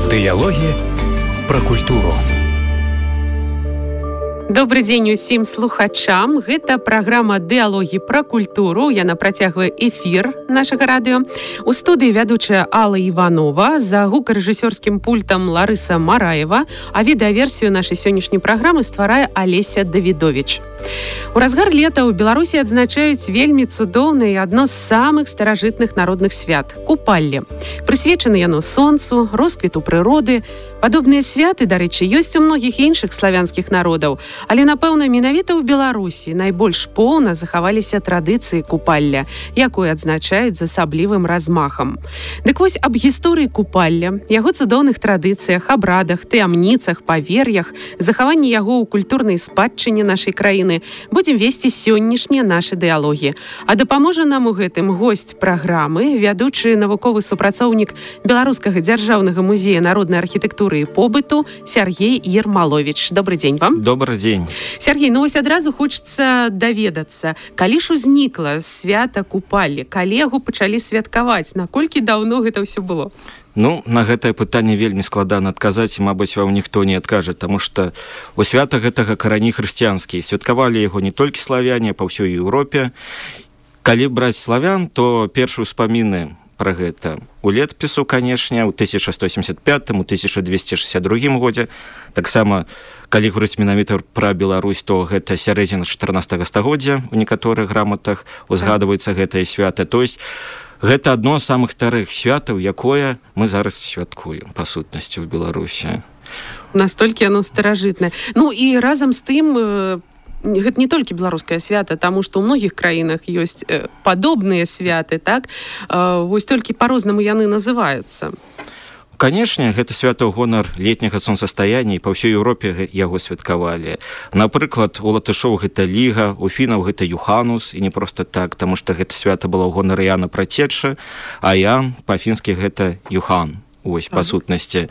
Дыялогі пра культуру. Добрый дзень усім слухачам. Гэта праграма «Дыялогі пра культуру». Яна працягвае эфір нашага радыё. У студыі вядучая Алла Іванова, за гукарэжысёрскім пультам Ларыса Мараева, а відэаверсію нашай сённяшняй праграмы стварае Алеся Давідовіч. У разгар лета ў Беларусі адзначаюць вельмі цудоўнае і адно з самых старажытных народных свят – купалле. Прысвечана яно сонцу, росквіту прыроды. Падобныя святы, дарэчы, ёсць у многіх іншых славянскіх народаў, але, напэўна, менавіта ў Беларусі найбольш поўна захаваліся традыцыі купалля, якую адзначаюць з асаблівым размахам. Дык вось аб гісторыі купалля, яго цудоўных традыцыях, абрадах, таямніцах, павер'ях, захаванні яго ў культурнай спадчыне нашай краіны будзем весці сённяшнія нашы дыялогі. А дапаможа нам у гэтым госць праграмы, вядучы навуковы супрацоўнік Беларускага дзяржаўнага музея народнай архітэктуры і побыту Сергей Ермалович. Добрый дзень вам. Добрый дзень. Сергей, ну вось адразу хочацца даведацца, калі ж узнікла свята купалле, калі яго пачалі святкаваць, наколькі даўно гэта ўсё было? Ну, на гэтае пытанне вельмі складана адказаць, і, мабыць, вам ніхто не адкажа, таму што у свята гэтага карані хрысціянскія. Святкавалі яго не толькі славяне, па ўсёй Еўропе. Калі браць славян, то першыя ўспаміны пра гэта у летапісу, канешне, у 1175, у 1262 годзе. Таксама, калі говорыць менавіта пра Беларусь, то гэта сярэдзіна 14 стагоддзя у некаторых граматах узгадваецца гэтае свята. То есть гэта адно з самых старых святаў, якое мы зараз святкуем, па сутнасці, ў Беларусі. Настолькі яно старажытнае. Ну і разам з тым, гэта не толькі беларускае свята, таму што ў многіх краінах ёсць падобныя святы, так? Вось толькі па-рознаму яны называюцца. Канешне, гэта свята ў гонар летняга сонцастаяння, і па ўсёй Еўропе яго святкавалі. Напрыклад, у латышоў гэта Ліга, у фінаў гэта Юханус, і не проста так, таму што гэта свята было ў гонар Яна Працечча, а Ян па-фінскі гэта Юхан. Ось, па сутнасці.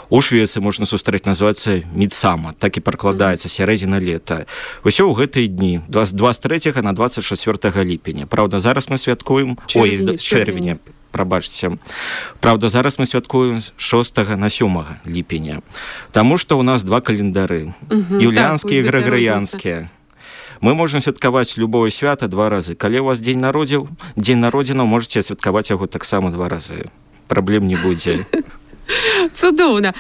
У Швецыі можна сустрэць, называецца Мідсама, так і пракладаецца сярэдзіна лета. Усё ў гэтыя дні, 23 на 24 ліпеня. Праўда, зараз мы святкуем... Чэрвеня. Прабачце. Праўда, зараз мы святкуем з 6 на 7 ліпеня. Таму што ў нас два календары. Юліанскія і грыгорыянскія. Мы можем святкаваць любое свята два разы. Калі у вас дзень народзінаў, можаце святкаваць яго таксама два разы. Праблем не будзе. Цудоўна.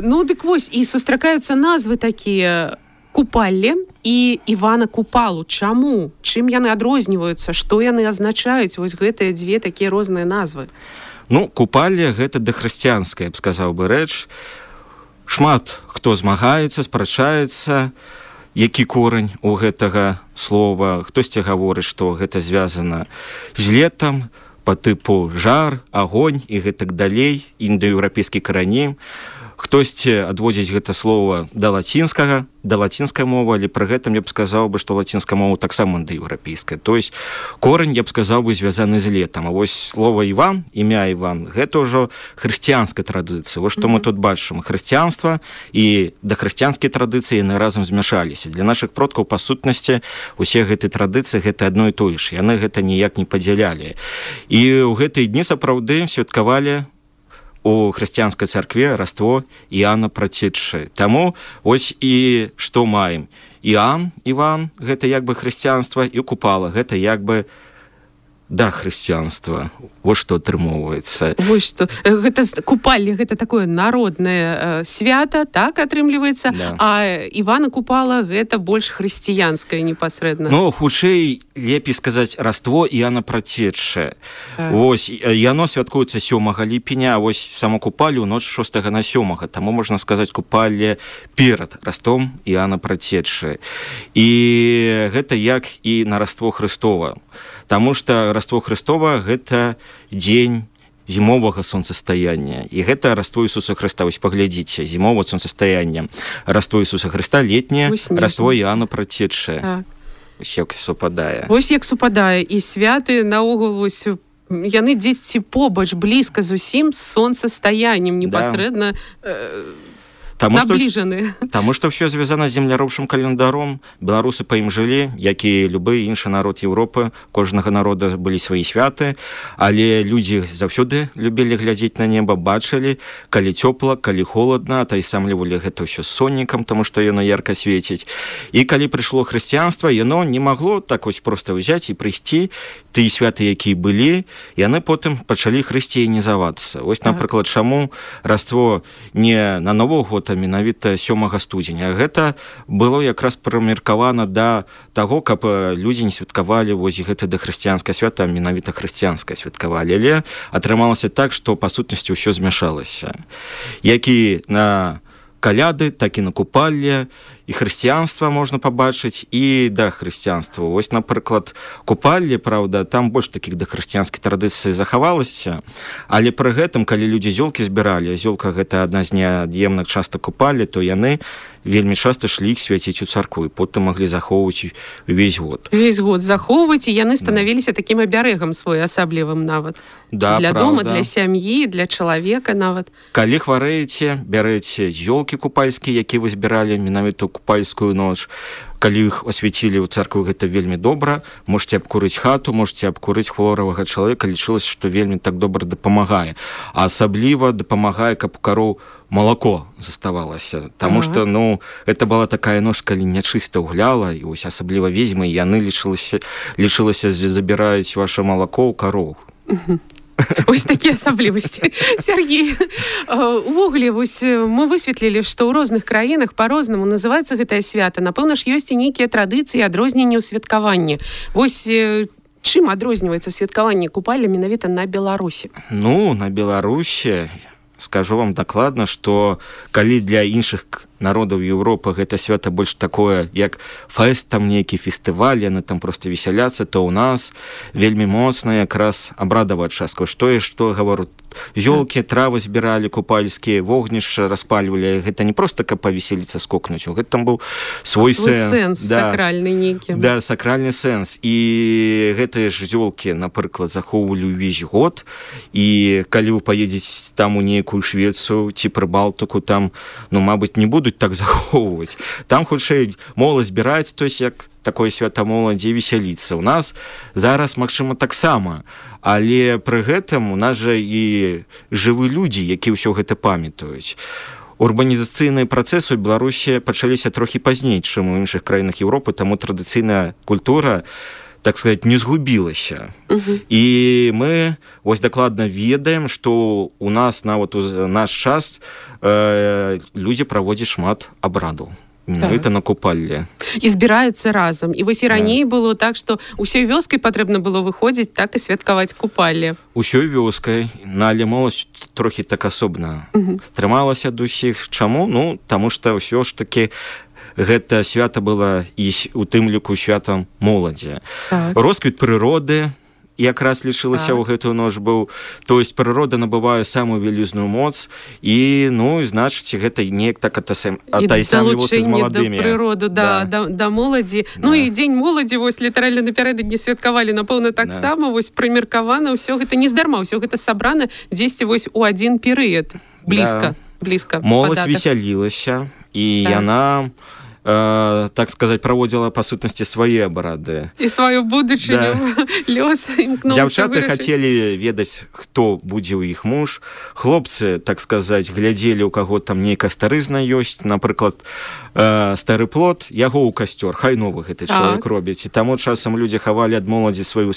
Ну, дык вось, і сустракаюцца назвы такія купалле і Івана Купалу. Чаму? Чым яны адрозніваюцца? Што яны азначаюць? Вось гэтыя дзве такія розныя назвы. Ну, купалле — гэта дахрысціянская, я б сказаў бы, рэч. Шмат хто змагаецца, спрачаецца, які корань у гэтага слова. Хтосьці гаворыць, што гэта звязана з летам, по тыпу жар, агонь і гэтак далей, індаеўрапейскі карані. Хтосьці адводзіць гэта слова да лацінскай мовы, але пры гэтым я б сказаў бы, што лацінская мова таксама індаеўрапейская. То есть корань, я б сказаў бы, звязаны з летам. А вось слова Іван, імя Іван, гэта ўжо хрысціянская традыцыя. Вось што мы тут бачым. Хрысціянства і дахрысціянскія традыцыі яны разам змяшаліся. Для нашых продкаў, па сутнасці, усе гэтыя традыцыі гэта адно і тое ж. Яны гэта ніяк не падзялялі. І ў гэтыя дні сапраўды святкавалі у хрысціянскай царкве раство Іана Працеччы. Таму ось і што маем. Іван, гэта як бы хрысціянства, і Купала, гэта як бы да хрысціянства. Вось што атрымоўваецца. Вось што. Гэта купалле, гэта такое народнае свята, так атрымліваецца, да. А Івана Купала гэта больш хрысціянскае непасрэдна. Ну, хутчэй лепей сказаць раство Іана Працеччы. Вось, яно святкуецца 7 ліпеня, а вось саму купаллю ноч 6 на 7. Таму можна сказаць купалле перад растом Іана Працеччы. І гэта як і на раство Хрыстова. Таму што раство Хрыстова гэта дзень зімовага сонцастаяння. І гэта раство Ісуса Хрыста. Вось паглядзіце, зімовае сонцастаянне. Раство Ісуса Хрыста, летняе, раство Іана Працеччы. Так. Вось як супадае. Вось як супадае. І святы наогул вось яны дзесьці побач, блізка зусім з сонцастаяннем непасрэдна. набліжаны. Таму што ўсё звязана з земляробчым календаром. Беларусы па ім жылі, як і любы іншы народ Еўропы. Кожнага народа былі свае святы, але людзі заўсёды любілі глядзець на неба, бачылі, калі цёпла, калі холадна, атайсамлівалі гэта ўсё соннікам, таму што яно ярка свеціць. І калі прыйшло хрысціянства, яно не магло так вось проста ўзяць і прыйсці. Тыя святы, якія былі, яны потым пачалі хрысціянізавацца. Вось, напрыклад, чаму Раство не на Новы год, а менавіта 7 студзеня. Гэта было якраз прымеркавана да таго, каб людзі не святкавалі вось гэта дахрысціянскае свята, а менавіта хрысціянскае святкавалі. Але атрымалася так, што па сутнасці ўсё змяшалася. Як і на каляды, так і на купалле, і хрысціянства можна пабачыць, і да хрысціянства. Вось, напрыклад, купалле, праўда, там больш такіх да хрысціянскай традыцыі захавалася, але пры гэтым, калі людзі зёлкі збіралі, зёлка гэта адна з неад'емных частак купаллі, то яны вельмі часта шлі іх свяціць у царкву, і потым маглі захоўваць увесь год. Увесь год захоўваць, і яны станавіліся такім абярэгам своеасаблівым нават. Да, для правда. дома, для сям'і, для чалавека нават. Калі хварэеце, бярэце зёлкі купальскія, якія вы збіралі менавіта купальскую ноч. Калі іх асвяцілі ў царкву, гэта вельмі добра. Можете абкурыць хату, можете абкурыць хворага чалавека. Лічылася, што вельмі так добра дапамагае. А асабліва дапамагае, каб у кароў малако заставалася. Таму што, гэта была такая ноч, калі нячыста гуляла, і вось асабліва ведзьмы, яны лічылася, забіраюць ваше малако ў кароў. Ось такія асаблівасці. Сергей, увогуле, вось мы высветлілі, што ў розных краінах па-рознаму называецца гэтае свята. Напэўна ж, ёсць і нейкія традыцыі, адрозненні ў святкаванні. Вось чым адрозніваецца святкаванне купалля менавіта на Беларусі? На Беларусі скажу вам дакладна, што калі для іншых народаў Еўропы гэта свята больш такое, як фэст, там нейкі фестываль, яны там проста весяляцца, то ў нас вельмі моцна якраз абрадавая частка. Што гавару, зёлкі, травы збіралі купальскія, вогнішча распальвалі. Гэта не проста каб павеселіцца, скокнуць. Гэта там быў свой сэнс. Сакральны нейкі. Да, сакральны сэнс. І гэтыя ж зёлкі, напрыклад, захоўвалі ўвесь год. І калі вы паедзеце там у нейкую Швецыю ці Прыбалтыку, там, мабыць, не будуць так захоўваць. Там хутчэй моладзь збіраецца, то есть як такое свята моладзі, весяліцца. У нас зараз, магчыма, таксама, але пры гэтым у нас жа і жывы людзі, якія ўсё гэта памятаюць. Урбанізацыйныя працэсы ў Беларусі пачаліся трохі пазней, чым у іншых краінах Еўропы, таму традыцыйная культура, так сказать, не згубілася. І мы вось дакладна ведаем, што у нас нават у наш час людзі праводзяць шмат абрадаў. Менавіта на купалле. І збіраюцца разам. І вось і раней было так, што ўсёй вёскай патрэбна было выходзіць, так і святкаваць купалле. Усёй вёскай, але моладзь трохі так асобна трымалася ад усіх. Чаму? Таму што ўсё ж такі гэта свята было і у тым ліку святам моладзі. Росквіт прыроды якраз лічылася ў гэтую ноч быў. То есть прырода набывае самую вялізную моц і, значыць, гэта неяк так атайсамлівацца з маладымі. І далучэнне да прыроды, да моладзі. І дзень моладзі, вось, літаральна напярэдадні святкавалі, напэўна, таксама, вось, прымеркавана, ўсё гэта не здарма, ўсё гэта сабрана дзесьці вось у адзін перыяд. Блізка. Моладзь весялілася, і яна, так сказать, праводзіла па сутнасці свае абрады. І сваю будучыню, лёс імкнуўся вырашыць. Дзяўчаты хацелі ведаць, хто будзе ў іх муж. Хлопцы, так сказать, глядзелі, у каго там нейкая старызна ёсць. Напрыклад, стары плот, яго ў касцёр, хай новы гэты чалавек робіць. І таму часам людзі хавалі ад моладзі сваю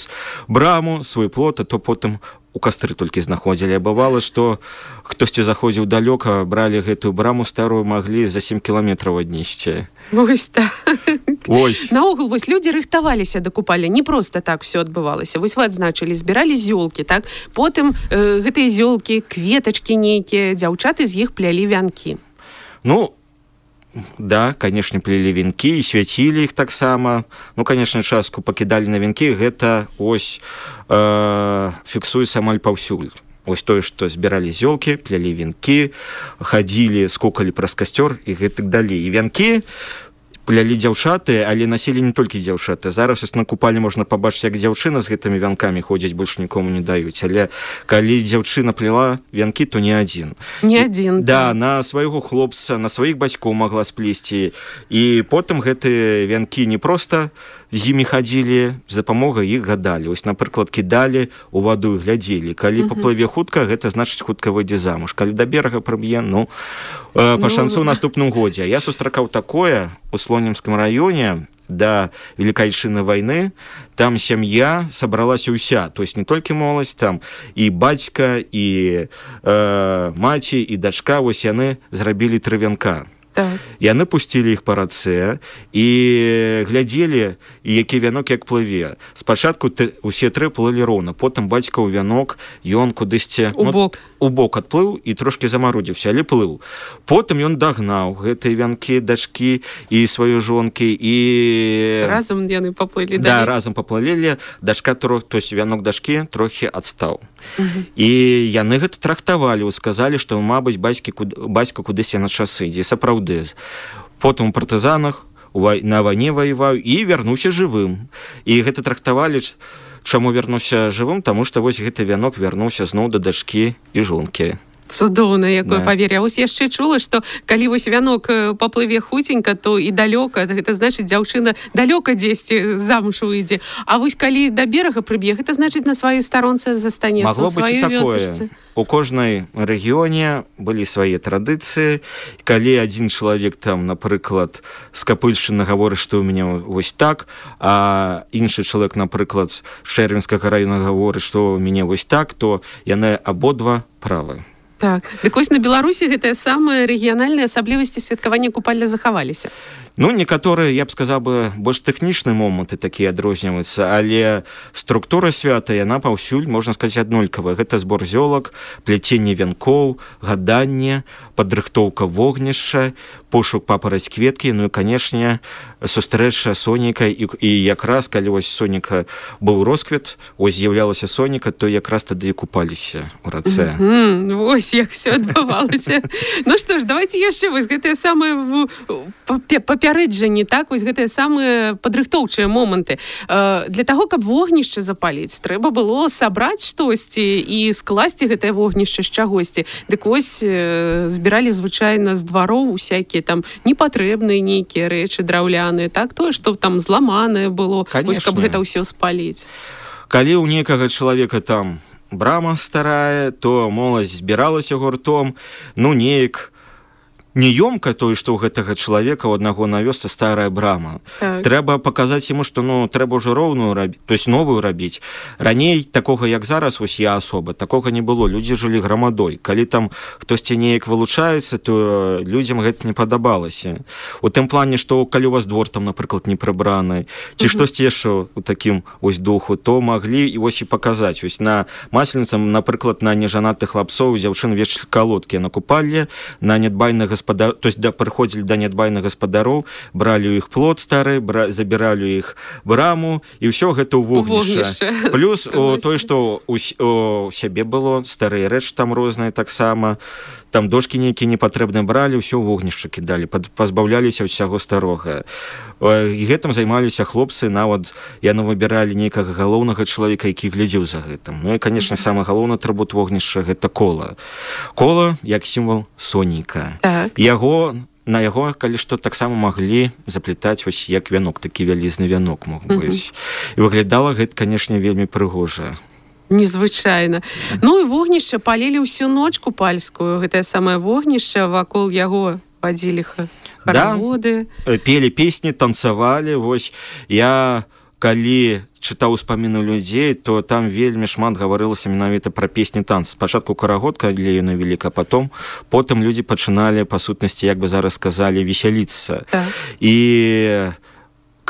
браму, свой плот, а то потым у кастры толькі знаходзілі. А бывала, што хтосьці заходзіў далёка, бралі гэтую браму старую, маглі за 7 кіламетраў аднесці. Вось так. Наогул, вось людзі рыхтаваліся да купалля. Не проста так все адбывалася. Вось вы адзначылі, збіралі зёлкі, так? Потым гэтыя зёлкі, кветачкі нейкія, дзяўчаты з іх плялі вянкі. Да, конечно, плелі венкі і свяцілі іх таксама. Конечно, частку пакідалі на венкі. Гэта ось фіксуецца амаль паўсюль. Ось тое, што збіралі зёлкі, плялі венкі, хадзілі, скокалі праз касцёр і гэтак далей. І вянкі плялі дзяўчаты, але насілі не толькі дзяўчаты. Зараз на купальні можна пабачыць, як дзяўчына з гэтымі вянкамі ходзіць, больш нікому не даюць. Але калі дзяўчына плела вянкі, то не адзін. Не адзін. Да, на свайго хлопца, на сваіх бацькоў магла сплесці. І потым гэтыя вянкі не проста з імі хадзілі, з дапамогай іх гадалі. Вось, напрыклад, кідалі у ваду і глядзелі. Калі паплыве хутка, гэта значыць хутка выйдзе замуж. Калі да берага прыб'е, пашанцу ў наступным годзе. Я сустракаў такое у Слонімскім раёне да Велікайчыннай вайны. Там сям'я сабралася ўся, то есть не толькі моладзь, там і бацька, і маці, і дачка, вось яны зрабілі 3 вянка. Яны пусцілі іх па рацэ і глядзелі, які вянок як плыве. Спачатку усе 3 плылі роўна, потым бацька ў вянок, ён кудысьці у бок адплыў і трошкі замарудзіўся, але плыў. Потым ён дагнаў гэтыя вянкі дачкі і сваёй жонкі, і разам яны паплылі. Да, разам паплылі. Дачка, то есть вянок дачкі трохі адстаў. І яны гэта трактавалі, сказалі, што, мабыць, бацька кудысь на часы ідзе. Сапраўды. Потым у партызанах на вайне ваяваў і вярнуўся жывым. І гэта трактавалі, чаму вярнуўся жывым, таму што вось гэты вянок вярнуўся зноў да дачкі і жонкі. Цудоўна, якое павер'е. Вось яшчэ чула, што калі вось вянок паплыве хуценька, то і далёка, гэта значыць, дзяўчына далёка дзесьці замуж выйдзе. А вось калі да берага прыб'е, гэта значыць, на сваёй старонцы застанецца, у сваёй вёсачцы. У кожнай рэгіёне былі свае традыцыі. Калі адзін чалавек там, напрыклад, з Капыльшчыны гаворыць, што ў мяне вось так, а іншы чалавек, напрыклад, з Шэрвінскага раёна гаворыць, што ў мяне вось так, то яны абодва правы. Так. Дык вось на Беларусі гэтыя самыя рэгіянальныя асаблівасці святкавання купальля захаваліся. Некаторыя, я б сказаў бы, больш тэхнічныя моманты такія адрозніваюцца, але структура свята, яна паўсюль, можна сказаць, аднолькавая. Гэта збор зёлак, пляценне вянкоў, гаданне, падрыхтоўка вогнішча, пошук папараць кветкі, і, канешне, сустрэча сонейка. І якраз, калі вось сонейка быў росквет, ось з'яўлялася сонейка, то якраз тады і купаліся ў рацэ. Вось як все адбывалася. Ну што ж, давайте яшчэ вось гэтыя самыя папярэджанні, так, вось гэтыя самыя падрыхтоўчыя моманты. Для таго, каб вогнішча запаліць, трэба было сабраць штосьці і скласці гэтае вогнішча з чагосьці. Дык вось збіралі звычайна з двароў усякія там непатрэбныя нейкія рэчы драўляныя, так, тое, што там зламанае было, вось, каб гэта ўсё спаліць. Калі ў некага чалавека там брама старая, то моладзь збіралася гуртом, неяк неёмка тое, што ў гэтага чалавека ў аднаго на вёсцы старая брама. Так. Трэба паказаць яму, што трэба ўжо роўную рабіць, то есть новую рабіць. Раней такога, як зараз, вось я асоба, такога не было. Людзі жылі грамадой. Калі там хтосьці неяк вылучаецца, то людзям гэта не падабалася. У тым плане, што калі у вас двор там, напрыклад, не прыбраны, ці штосьці яшчэ у такім вось духу, то маглі і вось і паказаць. Вось на масленіцам, напрыклад, на нежанатых хлапцоў дзяўчын вечалі калодкі на купалле, на нядбайных то есть прыходзілі да нядбайных гаспадароў, бралі ў іх плот стары, забіралі ў іх браму, і ўсё гэта ў вогнішча. Плюс тое, што у сябе было, старыя рэчы там розныя таксама, там дошкі нейкія непатрэбныя бралі, ўсё ў вогнішча кідалі, пазбаўляліся ўсяго старога. І гэтым займаліся хлопцы, нават яны выбіралі нейкага галоўнага чалавека, які глядзеў за гэтым. І, канешне, самы галоўны атрыбут вогнішча — гэта кола. Кола як сімвал сонейка. На яго, калі што, таксама маглі заплетаць вось як вянок, такі вялізны вянок мог быць. І выглядала гэта, канешне, вельмі прыгожа. Незвычайна. І вогнішча палілі ўсю ноч купальскую. Гэтае самае вогнішча, вакол яго вадзілі хараводы. Да, пелі песні, танцавалі. Вось я, калі чытаў успаміны людзей, то там вельмі шмат гаварылася менавіта пра песні танцы. Спачатку карагод, калі яны вяліка, потым людзі пачыналі, па сутнасці, як бы зараз сказалі, весяліцца. Так. І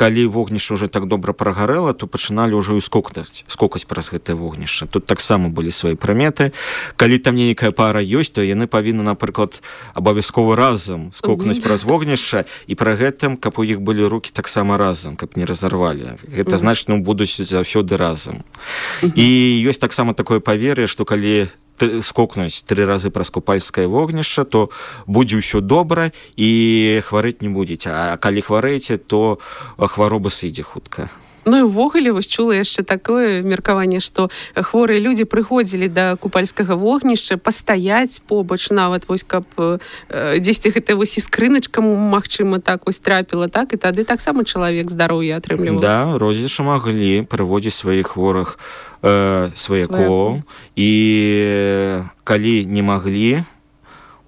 калі вогнішча ўжо так добра прагарэла, то пачыналі ўжо і скокаць праз гэтае вогнішча. Тут таксама былі свае прыметы. Калі там нейкая пара ёсць, то яны павінны, напрыклад, абавязкова разам скокнуць праз вогнішча, і пры гэтым, каб у іх былі рукі таксама разам, каб не разарвалі. Гэта значыць, будуць заўсёды разам. І ёсць таксама такое павер'е, што калі скокнуць 3 разы праз купальскае вогнішча, то будзе ўсё добра і хварэць не будзеце. А калі хварэеце, то хвароба сыдзе хутка. Ну і ўвогуле вось чула яшчэ такое меркаванне, што хворыя людзі прыходзілі да купальскага вогнішча пастаяць побач нават, вось каб дзесьці гэта вось і скрыначка, магчыма, так вось трапіла, так, і тады таксама чалавек здароўя атрымліваў. Да, розышы маглі прыводзіць сваіх хворых сваякоў, і калі не маглі,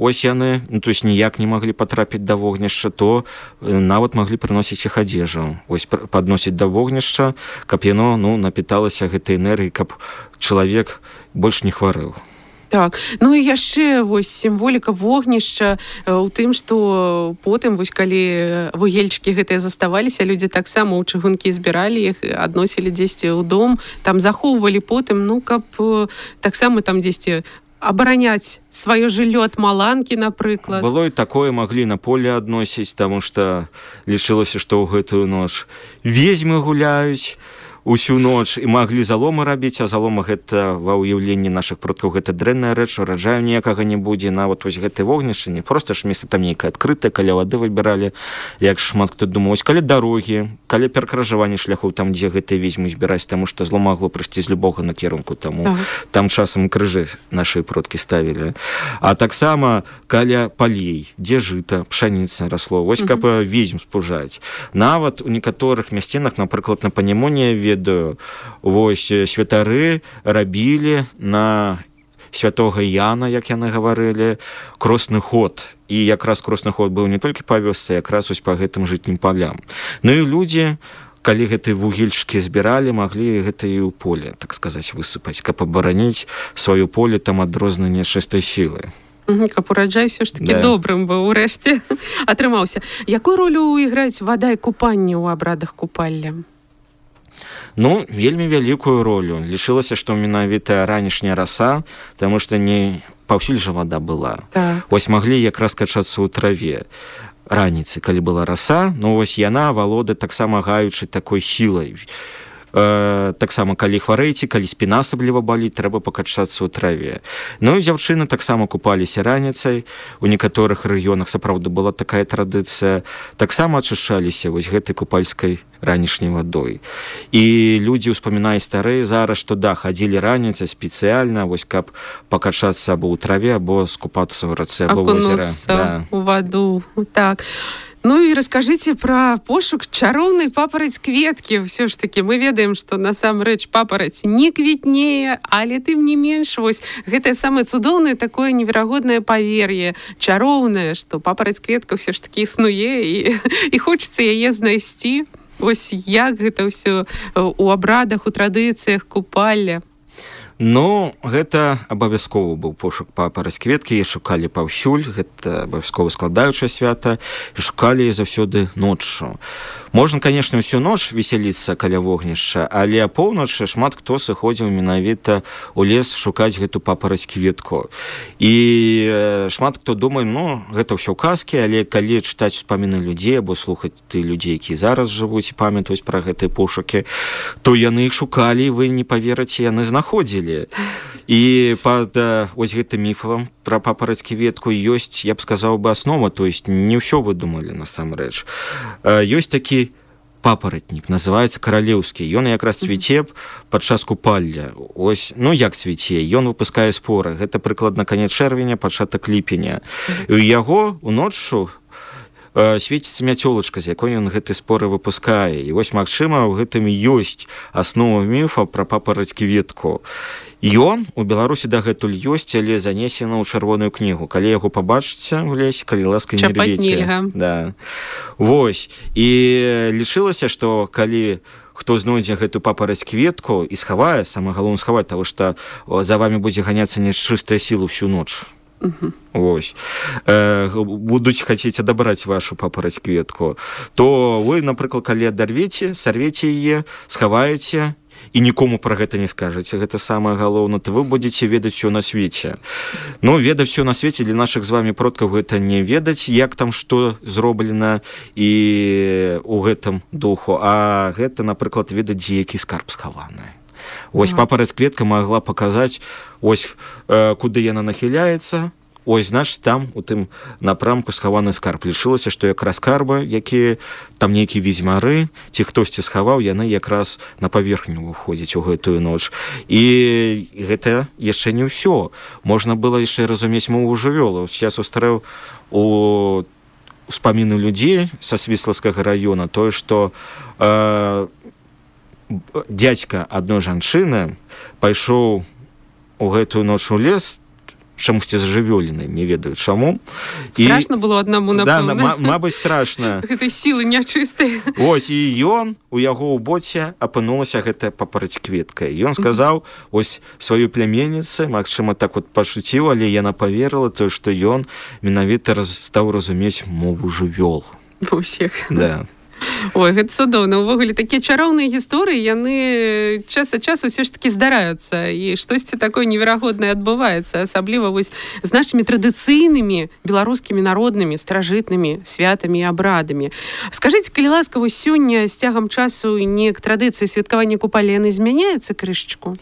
ось яны, ну, то есть ніяк не маглі патрапіць да вогнішча, то нават маглі прыносіць іх адзежу, ось падносіць да вогнішча, каб яно, ну, напіталася гэтай энергіяй, каб чалавек больш не хварэў. Так, ну і яшчэ вось сімволіка вогнішча ў тым, што потым, вось калі вугельчыкі гэтыя заставаліся, людзі таксама ў чыгункі збіралі іх, адносілі дзесьці ў дом, там захоўвалі потым, ну, каб таксама там дзесьці абараняць сваё жыллё ад маланкі, напрыклад. Было і такое, маглі на поле адносіць, таму што лічылася, што ў гэтую ноч ведзьмы гуляюць усю ноч і маглі заломы рабіць, а залома гэта ва ўяўленні нашых продкаў гэта дрэнная рэч, ураджаю ніякага не будзе. Нават вось гэтае вогнішча не проста ж месца там нейкае адкрытае, каля вады выбіралі, як шмат хто думаў, каля дарогі, каля перакрыжавання шляхоў, там дзе гэтыя ведзьмы збіраць, таму што зло магло прыйсці з любога накірунку, таму там часам крыжы нашы продкі ставілі. А таксама каля палей, дзе жыта, пшаніца расло, вось каб ведзьм спужаць. Нават у некаторых мясцінах, напрыклад, на Панемоне, ведаю, вось святары рабілі на святога Яна, як яны гаварылі, кросны ход. І якраз кросны ход быў не толькі па вёсцы, якраз ось па гэтым жытнім палям. Ну і людзі, калі гэтыя вугельчыкі збіралі, маглі гэта і ў поле, так сказаць, высыпаць, каб абараніць сваё поле там ад рознай нячыстай сілы. Каб ураджай все ж таки добрым быў урэшце атрымаўся. Якую ролю іграюць вада і купанне ў абрадах купалля? Ну, вельмі вялікую ролю. Лічылася, што менавіта ранішняя раса, таму што не паўсюль жа вада была. Вось маглі якраз качацца ў траве. Раніцы, калі была раса, ну вось яна валодае таксама гаючай такой сілай. Таксама калі хварэеце, калі спіна асабліва баліць, трэба пакачацца ў траве. Ну і дзяўчыны таксама купаліся раніцай, у некаторых рэгіёнах сапраўды была такая традыцыя, таксама ачышчаліся вось гэтай купальскай ранішняй вадой. І людзі ўспамінаюць старыя зараз, што да, хадзілі раніцай спецыяльна, вось каб пакачацца або ў траве, або скупацца ў рацэ, або ў возеры. Акунуцца ў ваду, так. Ну і раскажыце пра пошук чароўнай папараць кветкі. Ўсё ж такі мы ведаем, што насамрэч папараць не квітнее, але тым не менш, вось гэтае самае цудоўнае такое неверагоднае павер'е, чароўнае, што папараць кветка ўсё ж такі існуе і хочацца яе знайсці. Вось як гэта ўсё у абрадах, у традыцыях купалля? Ну, гэта абавязковы быў пошук папараць кветкі, і шукалі паўсюль, гэта абавязкова складаючае свята, і шукалі заўсёды ноччу. Можна, канешне, усю ноч весяліцца каля вогнішча, але апоўначы шмат хто сыходзіў менавіта ў лес шукаць гэту папараць кветку. І шмат хто думае, ну, гэта ўсё казкі, але калі чытаць успаміны людзей, або слухаць ты людзей, якія зараз жывуць і памятаюць пра гэтыя пошукі, то яны іх шукалі, і вы не паверыце, яны знаходзілі. І пад ось гэтым міфам пра папараць кветку ёсць, я б сказаў бы, аснова, то есть не ўсё выдумалі насамрэч. Ёсць такі папаратнік, называецца каралеўскі. Ён якраз цвіце падчас купалля. Ось, ну як цвіце? Ён выпускае споры. Гэта прыкладна канец чэрвеня, пачатак ліпеня. І ў яго уноччу свеціцца мяцёлачка, з якой ён гэты споры выпускае. І вось, магчыма, у гэтым ёсць аснова міфа пра папараць кветку. Ён у Беларусі дагэтуль ёсць, але занесена ў чырвоную кнігу. Калі яго пабачыце ў лесе, калі ласка, не рвіце. Да. Вось. І лічылася, што калі хто знойдзе гэту папараць кветку і схавае, самае галоўнае схаваць, таму што за вамі будзе ганяцца нячыстая сіла ўсю ноч. Вось. Будуць хацець адабраць вашу папараць кветку, то вы, напрыклад, калі адарвеце, сарвеце яе, схаваеце, і нікому пра гэта не скажаце, гэта самае галоўнае, то вы будзеце ведаць усё на свеце. Ну, ведаць усё на свеце для нашых з вамі продкаў гэта не ведаць, як там што зроблена і ў гэтым духу, а гэта, напрыклад, ведаць, дзе які скарб схаваны. Вось папараць-кветка магла паказаць, ось куды яна нахіляецца, ось, значит, там у тым напрамку схаваны скарб. Лічылася, што якраз скарбы, якія там нейкія візьмары, ці хтосьці схаваў, яны якраз на паверхню выходзяць у гэтую ноч. І гэта яшчэ не ўсё. Можна было яшчэ разумець мову жывёлаў. Я сустрэў у успаміны людзей са Свіслацкага района тое, што дзядзька адной жанчыны пайшоў у гэтую ноч у лес, чамусьці зажывёлены, не ведаю чаму. Страшна было аднаму, напэўна. Да, мабыць, страшна. Гэтай сілы нячыстыя. Ось, і ён, у яго ў боце апынулася гэтая папараць-кветка. І ён сказаў, ось, сваёй пляменніцы, магчыма, так вот пашуціў, але яна паверыла, то, што ён менавіта стаў разумець мову жывёл. Усіх. Да. Ой, гэта цудоўна. Увогуле, такія чароўныя гісторыі, яны час ад часу ўсё ж такі здараюцца, і штосьці такое неверагоднае адбываецца, асабліва вось з нашымі традыцыйнымі беларускімі народнымі старажытнымі святамі і абрадамі. Скажыце, калі ласка, вось сёння з цягам часу неяк традыцыі святкавання купалі яны змяняюцца крышачку?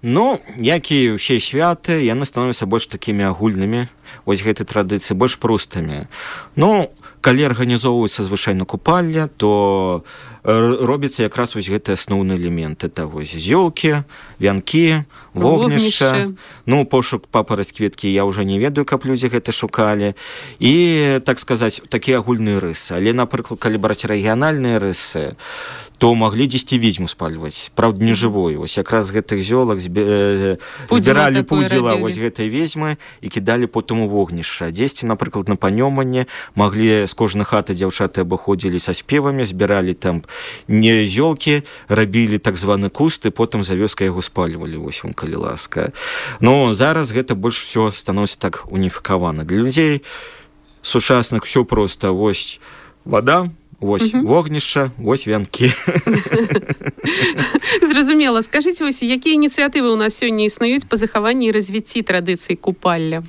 Ну, як і ўсе святы, яны становяцца больш такімі агульнымі, вось гэтай традыцыі, больш простымі. Ну, калі арганізоўваецца звычайна купальня, то робіцца якраз вось гэтыя асноўныя элементы. Это вось зёлкі, вянкі, вогнішча. Ну, пошук папараць-кветкі я ўжо не ведаю, каб людзі гэта шукалі. І, так сказаць, такія агульныя рысы. Але, напрыклад, калі браць рэгіянальныя рысы, то маглі дзесьці відзьму спальваць. Праўда, не жывую. Вось якраз з гэтых зёлак збіралі пудзіла вось гэтай ведзьмы і кідалі потым у вогнішча. Дзесьці, напрыклад, на панёманне маглі з кожнай хаты дзяўчаты абыходзілі са спевамі, збіралі там не зёлкі, рабілі так званы куст, і потым за вёскай яго спальвалі, вось вам, калі ласка. Ну, зараз гэта больш усё становіцца так уніфікавана. Для людзей сучасных усё проста. Вось вада, вось вогнішча, вось вянкі. Зразумела. Скажыце, вось, якія ініцыятывы ў нас сёння існуюць па захаванні і развіцці традыцый купалля?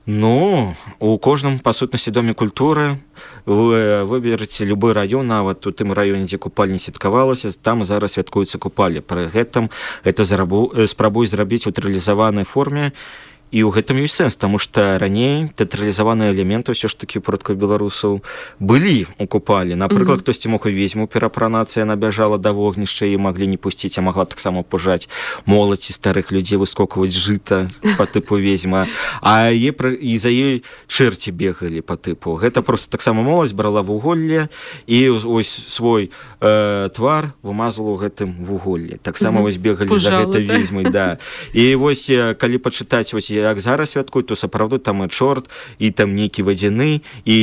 Ну, у кожным, па сутнасці, доме культуры вы выберыце любы раён, нават у тым раёне, дзе купальня святкавалася, там зараз святкуецца купальня. Пры гэтым гэта спрабуюць зрабіць у тэатралізаванай форме. І ў гэтым ёсць сэнс, таму што раней тэатралізаваныя элементы ўсё ж такі продкаў беларусаў былі ў купалі. Напрыклад, хтосьці мог і ведзьму перапранацыя, яна бяжала да вогнішча і маглі не пусціць, а магла таксама пужаць моладзь і старых людзей, выскокваць жыта па тыпу ведзьма. А і за ёй чэрці бегалі па тыпу. Гэта проста таксама моладзь брала вуголле і ось свой твар вымазвала ў гэтым вуголле. Таксама вось бегалі за гэтай ведзьмай, да. І вось калі пачытаць вось як зараз святкуюць, то сапраўды там і чорт, і там нейкі вадзяны, і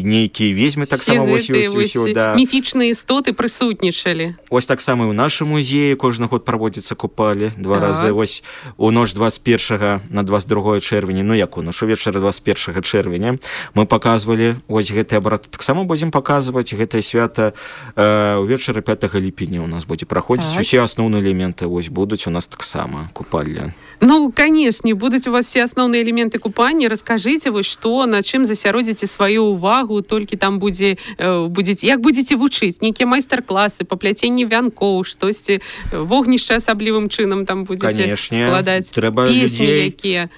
нейкія ведзьмы таксама вось ёсць. Міфічныя істоты прысутнічалі. Ось таксама і ў нашым музеі кожны год праводзіцца купалі 2 разы. Вось у ноч 21 на 22 чэрвеня, ну як у ноч увечары 21 чэрвеня мы паказвалі вось гэты абрад. Таксама будзем паказваць гэтае свята увечары 5 ліпеня у нас будзе праходзіць. Усе асноўныя элементы вось будуць у нас таксама купальня. Ну, канешне, будуць у вас все асноўныя элементы купання. Раскажыце вось што, на чым засяродзіце сваю ўвагу, толькі там як будзеце вучыць, нейкія майстар-класы па пляценні вянкоў, штосьці вогнішча асаблівым чынам там будзеце складаць, песні якія.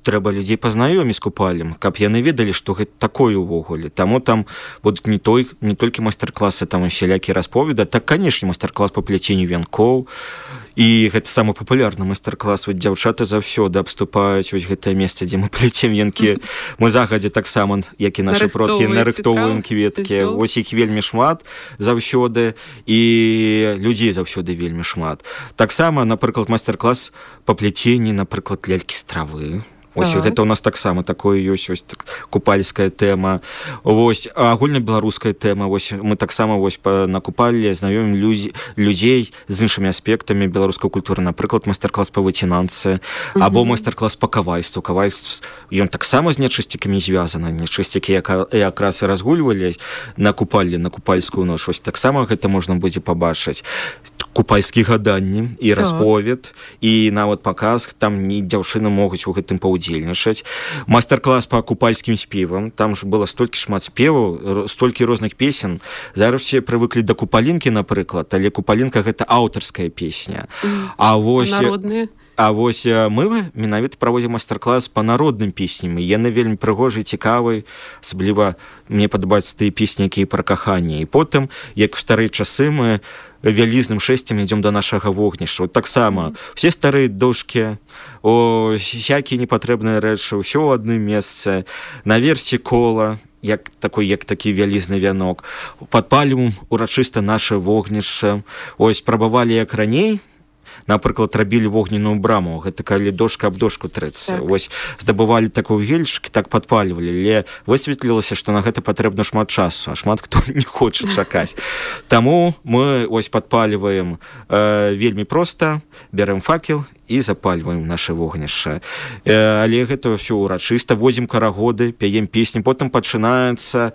Трэба людзей пазнаёміць з купалем, каб яны ведалі, што гэта такое ўвогуле. Таму там будуць не толькі майстар-класы, там усялякія расповеды, так, канешне, майстар-клас па пляценню вянкоў. І гэта самы папулярны майстар-клас. Вот дзяўчаты заўсёды абступаюць вось гэтае месца, дзе мы пляцем венкі. Мы загадзя таксама, як і нашы продкі, нарыхтоўваем кветкі. Вось іх вельмі шмат заўсёды, і людзей заўсёды вельмі шмат. Таксама, напрыклад, майстар-клас па пляценні, напрыклад, лялькі з травы. Ось гэта у нас таксама такое ёсць, ось купальская тэма. Вось агульнабеларуская тэма. Вось мы таксама вось на купалле знаёмім людзей з іншымі аспектамі беларускай культуры. Напрыклад, майстар-клас па выцінанцы, або майстар-клас па кавальству. Кавальство ён таксама з нячысцікамі звязаны. Нячысцікі якраз і разгульвалі на купалле, на купальскую ноч. Вось таксама гэта можна будзе пабачыць. Купальскія гаданні і расповед, і нават паказ, там дзяўчыны могуць у гэтым паўдзельнічаць удзельнічаць. Майстар-клас по купальскім спевам, там ж было столькі шмат спеваў, столькі розных песен. Зараз все прывыклі да купалінкі, напрыклад, але купалінка гэта аўтарская песня. А вось мы менавіта праводзім майстар-клас па народным песням. Яны вельмі прыгожыя, цікавыя, асабліва мне падабаюцца тыя песні, якія пра каханне. І потым, як у старыя часы, мы вялізным шэсцем ідём да нашага вогнішча. Вот таксама все старыя дошкі, всякія непатрэбныя рэчы, ўсё ў адным месцы, наверсе кола, як такі вялізны вянок. Падпалім урачыста наше вогнішча. Ось прабавалі як раней, напрыклад, рабілі вогненную браму, гэта калі дошка аб дошку трэцца. Вось здабывалі такую гельчык, так падпальвалі, але высветлілася, што на гэта патрэбна шмат часу, а шмат хто не хоча чакаць. Таму мы ось падпальваем вельмі проста, бярэм факел і запальваем наше вогнішча. Але гэта ўсё урачыста, возім карагоды, пяем песні, потым пачынаецца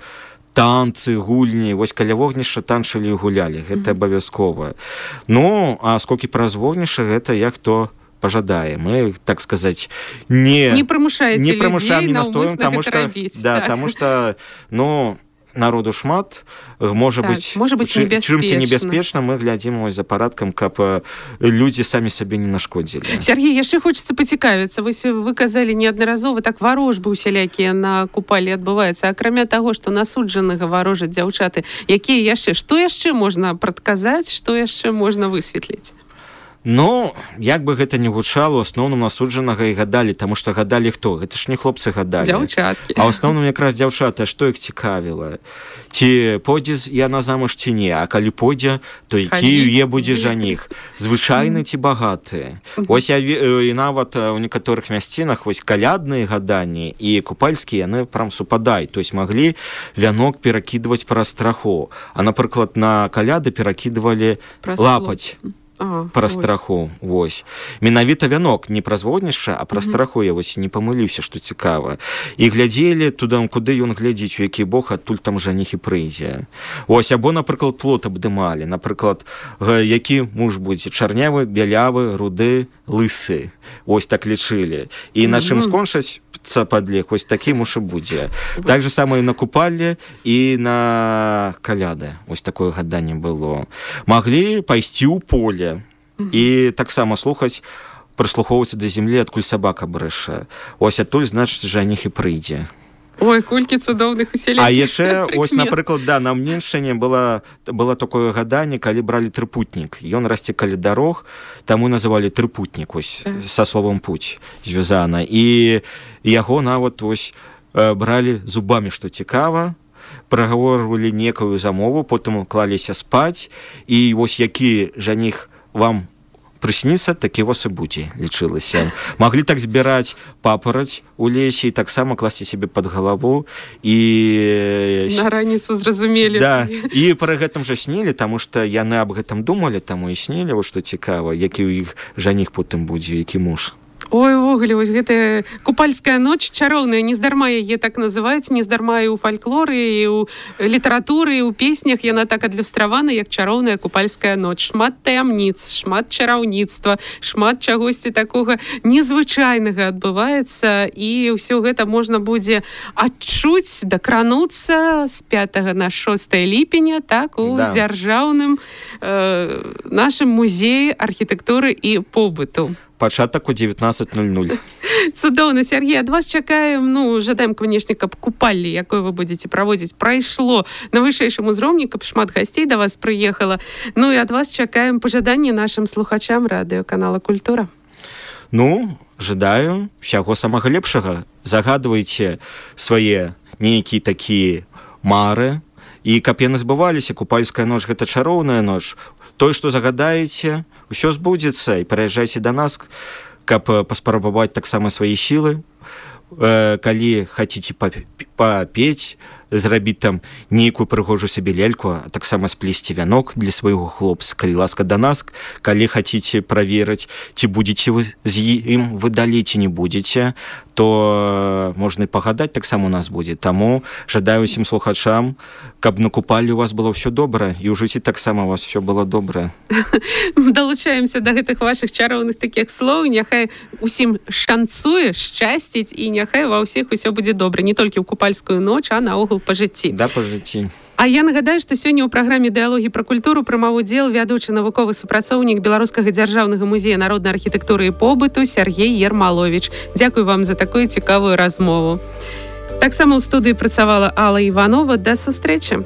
танцы, гульні, вось каля вогнішча танчылі і гулялі, гэта абавязкова. Ну, а скокі праз вогнішча, гэта як хто пажадае. Мы, так сказаць, не прымушаеце людзей наўмысна гэта рабіць. Да, таму што, народу шмат, можа быць чымся небяспечна, мы глядзім за парадкам, каб людзі самі сабе не нашкодзілі. Сергей, яшчэ хочацца пацікавіцца. Вы казалі неаднаразова, так варожбы усялякія на купалі адбываюцца. Акрамя таго, што насуджанага варожаць дзяўчаты, якія яшчэ, што яшчэ можна прадказаць, што яшчэ можна высветліць? Як бы гэта не гучало, у асноўным насуджанага і гадалі, таму што гадалі хто? Гэта ж не хлопцы гадалі. Дзяўчаткі. А ў асноўным якраз дзяўчаты, што іх цікавіла? Ці пойдзе яна замуж ці не? А калі пойдзе, то які яе будзе жаніх? Звычайны ці багаты? Вось і нават у некаторых мясцінах вось калядныя гаданні і купальскія, яны прям супадаюць. То есть маглі вянок перакідваць праз страху. А, напрыклад, на каляды перакідвалі лапаць. Праз страху, вось. Менавіта вянок, не праз вогнішча, а праз страху, я вось не памыліўся, што цікава. І глядзелі туды, куды ён глядзіць, у які бок, адтуль там жаніх і прыйдзе. Вось, або, напрыклад, плот абдымалі. Напрыклад, які муж будзе? Чарнявы, бялявы, руды, лысы. Вось так лічылі. І на чым скончаць падлег, вось такі муж і будзе. Так же самае на купалле і на каляды. Вось такое гаданне было. Маглі пайсці ў поле і таксама слухаць, прыслухоўвацца да зямлі, адкуль сабака брэша. Ось адтуль, значыць, жаніх і прыйдзе. Ой, колькі цудоўных усялякіх. А яшчэ, ось, напрыклад, на Мненшчыне было такое гаданне, калі бралі трыпутнік. Ён расце каля дарог, таму называлі трыпутнік, ось, са словам путь звязана. І яго нават, ось, бралі зубамі, што цікава, прагаворвалі некую замову, потым клаліся спаць, і вось які жаніх вам прысніцца, такі вас і будзе, лічылася. Маглі так збіраць папараць у лесе і таксама класці себе пад галаву. І на раніцу зразумелі. Да, і пры гэтым жа снілі, таму што яны аб гэтым думалі, таму і снілі, што цікава, які ў іх жаніх потым будзе, які муж. Ой, увогуле, вось гэтая купальская ноч чароўная, нездарма яе так называюць, нездарма і ў фальклоры, і ў літаратуры, і ў песнях яна так адлюстравана, як чароўная купальская ноч. Шмат таямніц, шмат чараўніцтва, шмат чагосьці такога незвычайнага адбываецца, і ўсё гэта можна будзе адчуць, дакрануцца з 5 на 6 ліпеня, так, у дзяржаўным нашым музеі архітэктуры і побыту. Пачатак у 19:00. Цудоўна, Сергей, ад вас чакаем, жадаем, канешне, каб купалле, якое вы будзеце праводзіць, прайшло на вышэйшым узроўні, каб шмат гасцей да вас прыехала. І ад вас чакаем пажаданні нашым слухачам радыёканала «Культура». Жадаю ўсяго самага лепшага. Загадвайце свае нейкія такія мары, і каб яны збываліся. Купальская ноч — гэта чароўная ноч. Тое, што загадаеце, усё збудзецца, і прыязджайце да нас, каб паспрабаваць таксама свае сілы. Калі хаціце папець, зрабіць там нейкую прыгожую сабе ляльку, а таксама сплесці вянок для свайго хлопца. Калі ласка да нас, калі хаціце праверыць, ці будзеце вы з ім выдалі, ці не будзеце, то можна і пагадаць, таксама у нас будзе. Таму жадаю усім слухачам, каб на купалі у вас было ўсё добра, і ў жыцці таксама у вас все было добра. Далучаемся да гэтых вашых чароўных такіх слоў. Няхай усім шанцуе, шчасціць, і няхай ва ўсіх усё будзе добра. Не толькі ў купальскую ноч, а наогул па жыцці. Да, па жыцці. А я нагадаю, што сёння ў праграме «Дыалогі пра культуру» прымаў удзел вядучы навуковы супрацоўнік Беларускага дзяржаўнага музея народнай архітэктуры і побыту Сергей Ермалович. Дзякуй вам за такую цікавую размову. Таксама ў студыі працавала Алла Іванова. Да сустрэчы.